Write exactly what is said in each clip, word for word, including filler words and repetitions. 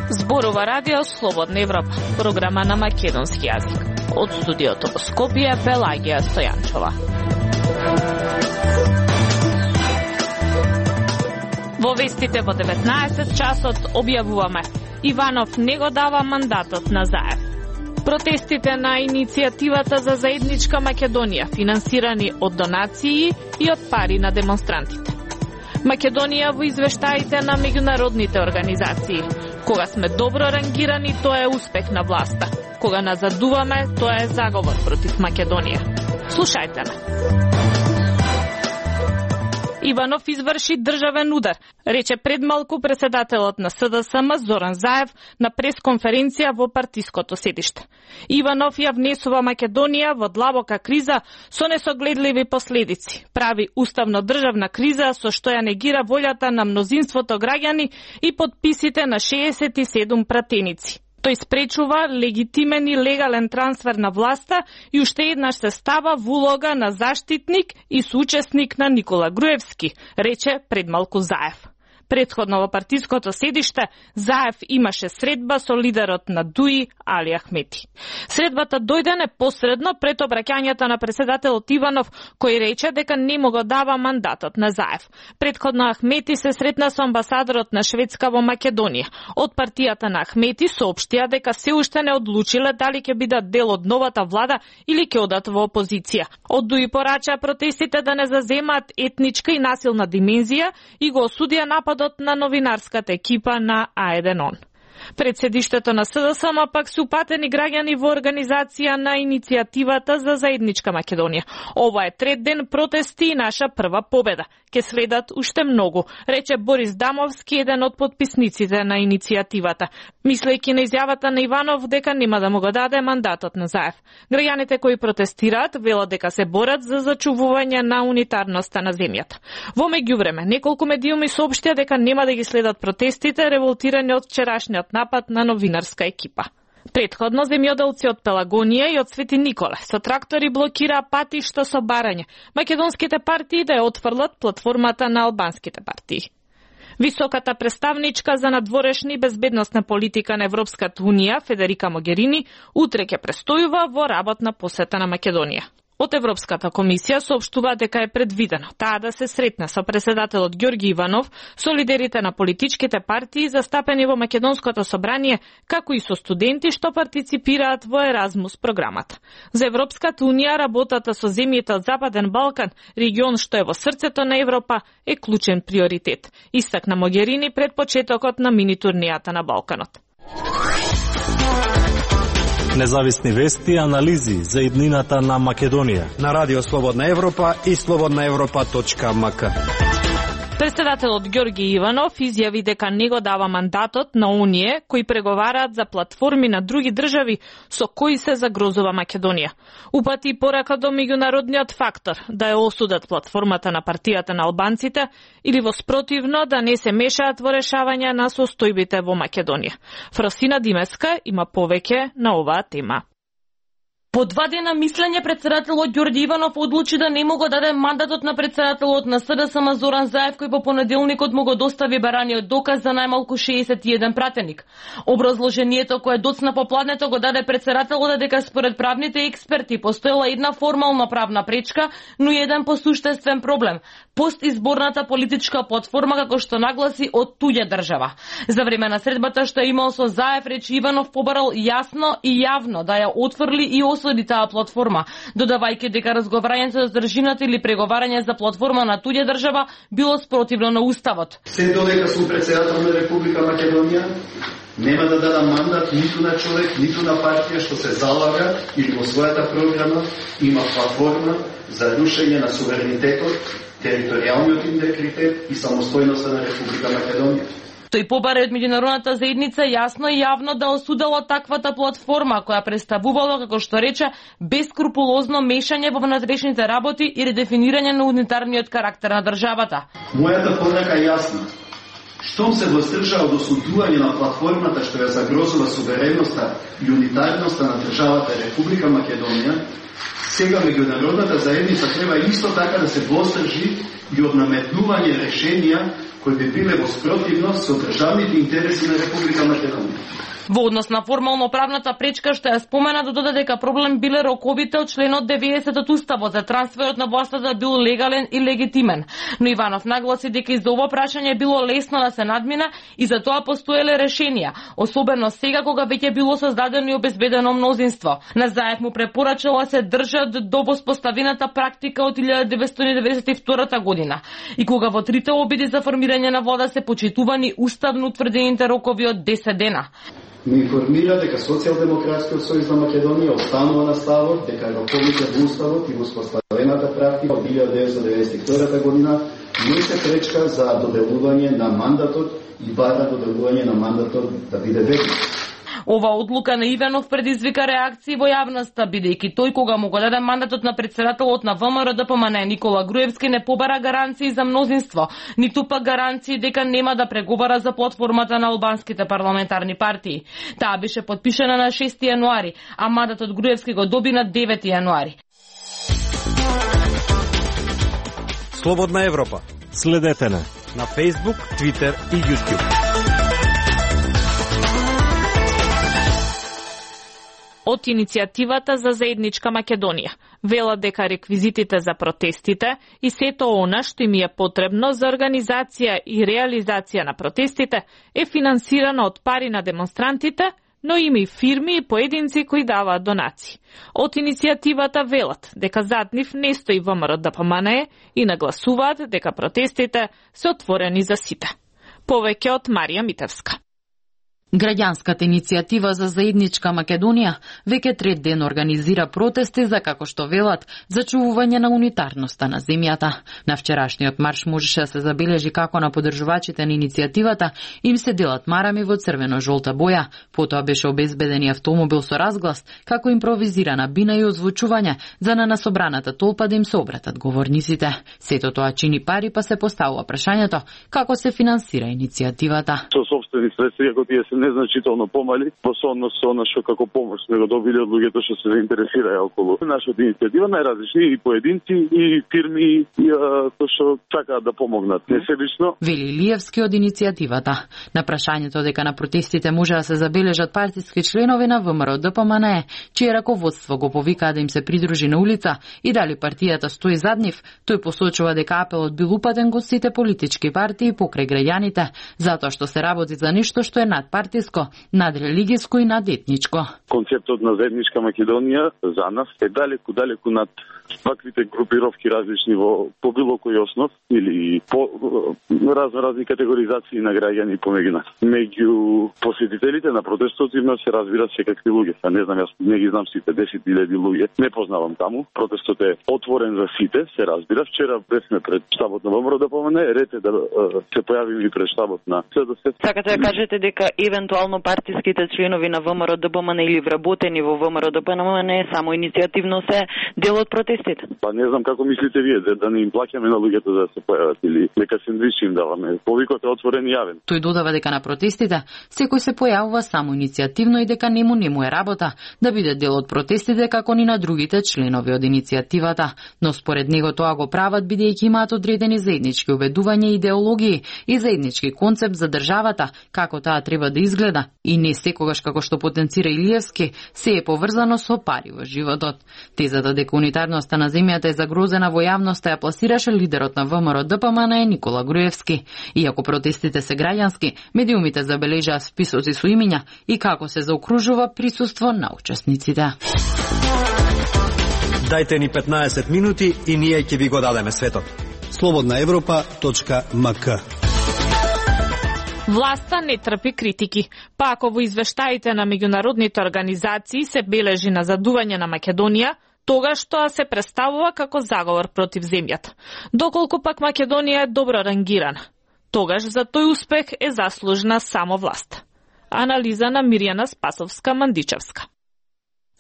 Зборува радио Слободна Европа, програма на македонски јазик. Од студиото во Скопје, Пелагија Стојанчова. Во вестите во деветнаесет часот објавуваме: Иванов не го дава мандатот на Заев. Протестите на иницијативата за заедничка Македонија, финансирани од донации и од пари на демонстрантите. Македонија во извештаите на меѓународните организации. Кога сме добро рангирани, тоа е успех на власта. Кога назадуваме, тоа е заговор против Македонија. Слушајте ме. Иванов изврши државен удар, рече предмалку председателот на С Д С М Зоран Заев на пресконференција во партиското седиште. Иванов ја внесува Македонија во длабока криза со несогледливи последици. Прави уставно државна криза со што ја негира волјата на мнозинството граѓани и подписите на шеесет и седум пратеници. Тој спречува легитимен и легален трансфер на власта и уште еднаш се става во улога на заштитник и соучесник на Никола Груевски, рече предмалку Заев. Предходно во партиското седиште Заев имаше средба со лидерот на ДУИ Али Ахмети. Средбата дојде непосредно пред обраќањето на председателот Иванов, кој рече дека не му го дава мандатот на Заев. Предходно Ахмети се сретна со амбасадорот на Шведска во Македонија. Од партијата на Ахмети соопштија дека се уште не одлучиле дали ќе бидат дел од новата влада или ќе одат во опозиција. Од ДУИ порача протестите да не заземаат етничка и насилна димензија и го осудија нападот на новинарската екипа на А еден он. Пред седиштето на С Д С М пак се упатени граѓани во организација на иницијативата за заедничка Македонија. Ова е трет ден протести и наша прва победа. Ке следат уште многу, рече Борис Дамовски, еден од подписниците на иницијативата, мислејќи на изјавата на Иванов дека нема да му го даде мандатот на Заев. Граѓаните кои протестираат велат дека се борат за зачувување на унитарноста на земјата. Во меѓувреме, неколку медиуми соопштија дека нема да ги следат протестите револтирани од вчерашниот напад на новинарска екипа. Предходно земјоделци од Пелагонија и од Свети Николе со трактори блокираа патишта со барање македонските партии да ја отфрлат платформата на албанските партии. Високата представничка за надворешна и безбедносна политика на Европската унија, Федерика Могерини, утре ќе престојува во работна посета на Македонија. Од Европската комисија соопштува дека е предвидено таа да се сретне со председателот Ѓорги Иванов, со лидерите на политичките партии застапени во Македонското собрание, како и со студенти што партиципираат во Еразмус програмата. За Европската унија работата со земјите од Западен Балкан, регион што е во срцето на Европа, е клучен приоритет, истакна Могерини пред почетокот на мини-турнијата на Балканот. Независни вести и анализи за иднината на Македонија на Радио Слободна Европа и слободна европа точка ем ка. Председателот Ѓорги Иванов изјави дека не го дава мандатот на оние кои преговараат за платформи на други држави со кои се загрозува Македонија. Упати порака до меѓународниот фактор да ја осудат платформата на партијата на албанците или во спротивно да не се мешаат во решавање на состојбите во Македонија. Фросина Димеска има повеќе на оваа тема. По два дена мислење, председателот Ѓорѓи Иванов одлучи да не му го даде мандатот на председателот на С Д С М Зоран Заев, кој по понеделникот му го достави бараниот доказ за најмалку шеесет и еден пратеник. Образложението кое доцна попладнето го даде председателот дека според правните експерти постоела една формална правна пречка, но и еден посуштествен проблем – постизборната политичка платформа, како што нагласи, од туѓа држава. За време на средбата што е имал со Заев, речи Иванов побарал јасно и јавно да ја отфрли и осуди таа платформа, додавајќи дека разговарањето за држината или преговарање за платформа на туѓа држава било спротивно на уставот. Се додека сум председател на Република Македонија, нема да дадам мандат ниту на човек, ниту на партија што се залага или во својата програма има платформа за рушење на суверенитетот, територијалниот интегритет и самостојноста на Република Македонија. Тој побара од меѓународната заедница јасно и јавно да осудила таквата платформа која представувала, како што рече, бескрупулозно мешање во внатрешните работи и редефинирање на унитарниот карактер на државата. Мојата порака е јасна. Штом се воздржа од осудување на платформата што ја загрозува сувереноста и унитарноста на државата Република Македонија, сега меѓународната заедница треба исто така да се воздржи и од наметнување решенија кои би биле во спротивност со државните интереси на Република Македонија. Во однос на формално правната пречка што ја спомена, да додаде дека проблем биле роковите од членот деветдесет од Уставот за трансферот на власта да бил легален и легитимен. Но Иванов нагласи дека и за ова прашање било лесно да се надмина и за тоа постоеле решенија, особено сега кога веќе било создадено и обезбедено мнозинство. На Заев му препорачала се држат до воспоставената практика од илјада деветстотини деветдесет и втора година и кога во трите обиди за формирање на влада се почитувани уставно утврдените рокови од десет дена. Ми информира дека Социјалдемократскиот сојуз на Македонија останува на ставот дека роковите во Уставот и воспоставената практика од илјада деветстотини деветдесет и втора година не се пречка за доделување на мандатот и бара доделување на мандатот да биде вечно. Ова одлука на Иванов предизвика реакции во јавноста, бидејќи тој кога му го даде мандатот на претседателот на ВМРО Д П М Н Никола Груевски не побара гаранции за мнозинство, ниту пак гаранции дека нема да преговара за платформата на албанските парламентарни партии. Таа беше потпишана на шести јануари, а мандатот Груевски го доби на девети јануари. Слободна Европа. Следете на на Facebook, Twitter и YouTube. Од иницијативата за заедничка Македонија велат дека реквизитите за протестите и сето она што им е потребно за организација и реализација на протестите е финансирано од пари на демонстрантите, но има и фирми и поединци кои даваат донации. Од иницијативата велат дека зад нив не стои ВМРО Д П М Н и нагласуваат дека протестите се отворени за сите. Повеќе од Марија Митевска. Граѓанската иницијатива за заедничка Македонија веќе трет ден организира протести за, како што велат, зачувување на унитарноста на земјата. На вчерашниот марш можеше да се забележи како на поддржувачите на иницијативата им се делат марами во црвено-жолта боја. Потоа беше обезбеден автомобил со разглас, како импровизирана бина и озвучување за на насобраната толпа да им се обратат говорниците. Сето тоа чини пари, па се поставува прашањето како се финансира иницијативата. Со собствени средства, како тие се незначително помали во однос со она што како помош сме го добили од луѓето што се заинтересираа околу нашата иницијатива, најразлични и поединци и фирми кои што сакаат да помогнат несебично. Вели Илиевски од иницијативата. На прашањето дека на протестите може да се забележат партиски членови на ВМРО Д П М Н, чие раководство го повикаа да им се придружи на улица и дали партијата стои зад нив, тој посочува дека апелот бил упатен кон сите политички партии покрај граѓаните, затоа што се работи за нешто што е надпартиско, надрелигиско и надетничко. Концептот на заедничка Македонија за нас е далеку, далеку над ваквите групировки различни во по било кој основ или по разно разни категоризации на граѓани помеѓу нас. Меѓу посетителите на протестот има се разбира секакви луѓе. А не знам, јас не ги знам сите десет илјади луѓе. Не познавам таму. Протестот е отворен за сите, се разбира. Вчера бевме пред штабот на ВМРО Д П М Н, ред е да се појавиме и пред штабот на С Д С. Сакате да кажете дека евентуално партиските членови на ВМРО Д П М Н или вработени во ВМРО Д П М Н само иницијативно се дел од протестите? Па не знам како мислите вие, да, да не им плаќаме на луѓето за да се појават или нека сендвичи им даваме. Повикот е отворен и јавен. Тој додава дека на протестите секој се појавува само иницијативно и дека нему нему е работа да биде дел од протестите како ни на другите членови од иницијативата, но според него тоа го прават бидејќи имаат одредени заеднички убедувања и идеологии и заеднички концепт за државата, како таа треба да изгледа и не секогаш како што потенцира Илиевски се е поврзано со пари во животот. Тезата дека унитарноста на земјата е загрозена во јавноста ја пласираше лидерот на ВМРО Д П М Н Никола Груевски. Иако протестите се граѓански, медиумите забележаа списоци со имиња и како се заокружува присуство на учесниците. Дајте ни петнаесет минути и ние ќе ви го дадеме светот. слободна европа точка м к. Власта не трпи критики, па ако во извештаите на меѓународните организации се бележи назадување на Македонија, тогаш тоа се представува како заговор против земјата. Доколку пак Македонија е добро рангирана, тогаш за тој успех е заслужна само власт. Анализа на Мирјана Спасовска-Мандичевска.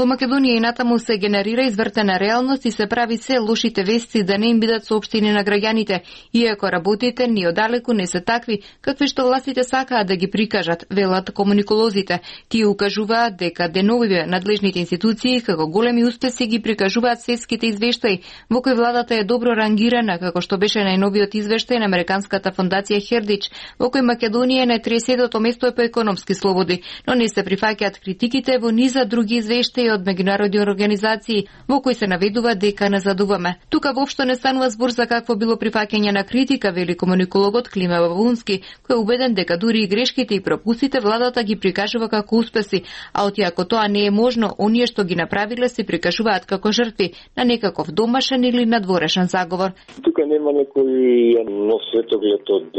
Во Македонија и натаму се генерира извртена реалност и се прави се лошите вести да не им бидат соопштени на граѓаните, иако работите ни одалеку не се такви какви што властите сакаат да ги прикажат, велат комуниколозите. Тие укажуваат дека деновиве надлежните институции како големи успеси ги прикажуваат светските извештаи, во кои владата е добро рангирана, како што беше најновиот извештај на Американската фондација Хердич, во кој Македонија е на триесетото место по економски слободи, но не се прифаќаат критиките во низа други извештаи од меѓународни организации, во кои се наведува дека назадуваме. Тука воопшто не станува збор за какво било прифаќање на критика, вели комуникологот Климе Бабунски, кој е убеден дека дури и грешките и пропустите владата ги прикажува како успеси, а отиако тоа не е можно, оние што ги направиле се прикажуваат како жртви на некаков домашен или надворешен заговор. Тука нема некој нов светоглед од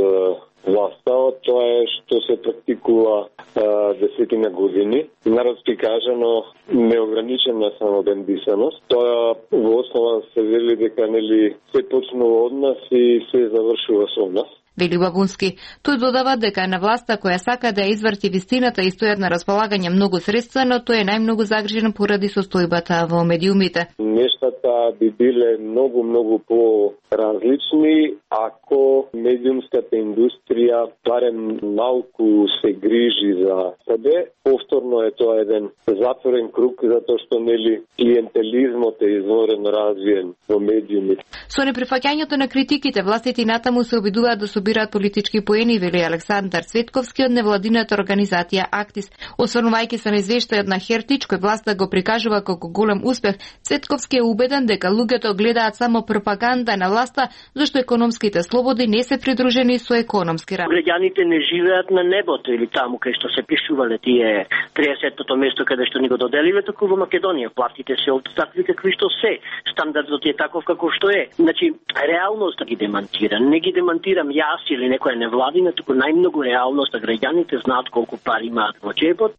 власта, тоа е што се практикува а, десетина години. Народски кажано, неограничена самобембисаност. Тоа во основа се вели дека нели се почнува од нас и се завршува со нас. Вели Бабунски. Тој додава дека на власта која сака да ја изврти вистината и стојат на располагање многу средства, но тој е најмногу загрижен поради состојбата во медиумите. Нештата би биле многу, многу по-различни ако медиумската индустрија барем малку се грижи за себе. Повторно е тоа еден затворен круг, затоа што нели клиентелизмот е изворено развиен во медиумите. Со неприфаќањето на критиките, властите натаму се обидуваат да собираат политички поени, вели Александар Цветковски од невладината организација Актис. Осврнувајќи се на извештајот на Хертич, кој власта го прикажува како голем успех, Цветковски е убеден дека луѓето гледаат само пропаганда на власта, зашто економските слободи не се придружени со економски рад. Граѓаните не живеат на небото или таму кај што се пишувале тие триесеттото место каде што ни го доделиле, туку во Македонија платите се од такви какви што се. Стандардот е таков како што е. Значи, реалноста ги демантира. Не ги демантирам јас или некоја невладина, туку најмногу реалноста. Граѓаните знаат колку пари имаат во џебот.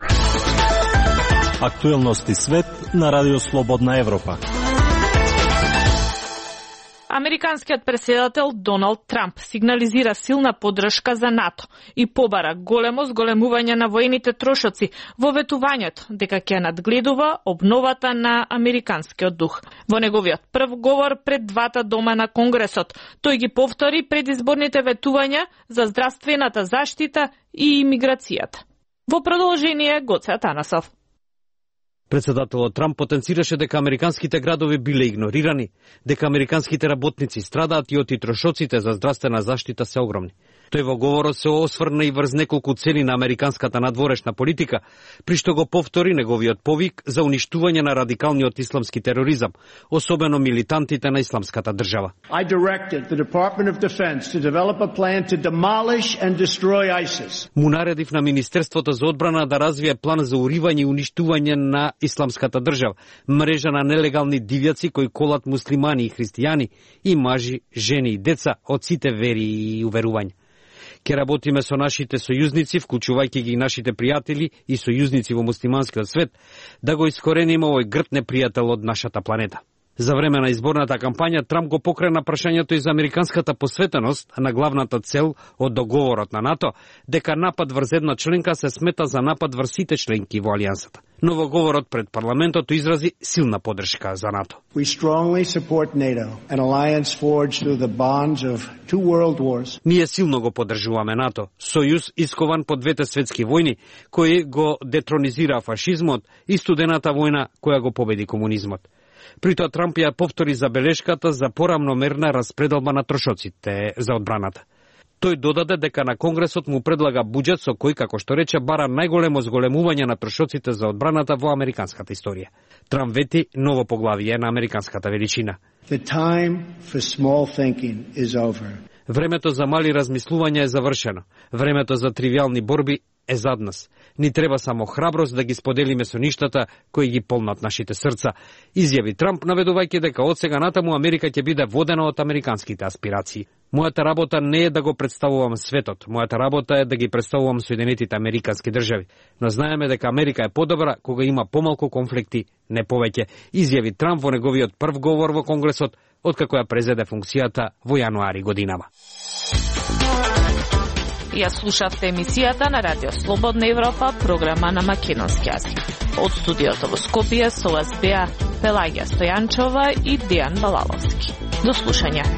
Актуелности свет на Радио Слободна Европа. Американскиот претседател Доналд Трамп сигнализира силна поддршка за НАТО и побара големо зголемување на воените трошоци во ветувањето дека ќе надгледува обновата на американскиот дух. Во неговиот прв говор пред двата дома на Конгресот, тој ги повтори предизборните ветувања за здравствената заштита и имиграцијата. Во продолжение Гоце Атанасов. Председателот Трамп потенцираше дека американските градови биле игнорирани, дека американските работници страдаат и оти трошоците за здравствена заштита се огромни. Тој во говорот се осврна и врз неколку цели на американската надворешна политика, при што го повтори неговиот повик за уништување на радикалниот исламски тероризам, особено милитантите на исламската држава. I directed the Department of Defense to develop a plan to demolish and destroy ISIS. Му наредив на Министерството за одбрана да развие план за уривање и уништување на исламската држава, мрежа на нелегални дивјаци кои колат муслимани и христијани и мажи, жени и деца од сите вери и уверувања. Ке работиме со нашите сојузници, вклучувајќи ги нашите пријатели и сојузници во муслиманскиот свет, да го искорениме овој грд непријател од нашата планета. За време на изборната кампања Трамп го покрена прашањето и за американската посветеност на главната цел од договорот на НАТО, дека напад врз една членка се смета за напад врз сите членки во алијансата. Но во говорот пред парламентот изрази силна поддршка за НАТО. We strongly support NATO, an alliance forged through the bonds of two world wars. Ние силно го поддржуваме НАТО, сојуз искован по двете светски војни, кој го детронизира фашизмот и студената војна која го победи комунизмот. При тоа Трамп ја повтори забелешката за порамномерна распределба на трошоците за одбраната. Тој додаде дека на Конгресот му предлага буџет со кој, како што рече, бара најголемо зголемување на трошоците за одбраната во американската историја. Трамп вети ново поглавие на американската величина. The time for small thinking is over. Времето за мали размислувања е завршено. Времето за тривијални борби е зад нас. Ни треба само храброст да ги споделиме со ништата кои ги полнат нашите срца, изјави Трамп, наведувајќи дека од сега натаму Америка ќе биде водена од американските аспирации. Мојата работа не е да го представувам светот, мојата работа е да ги представувам Соединетите американски држави, но знаеме дека Америка е подобра кога има помалку конфликти, не повеќе, изјави Трамп во неговиот прв говор во Конгресот откако ја презеде функцијата во јануари годинава. Ја слушавте емисијата на Радио Слободна Европа, програма на македонски јазик. Од студиото во Скопје со вас беа Пелагија Стојанчова и Дијан Балаловски. До слушање.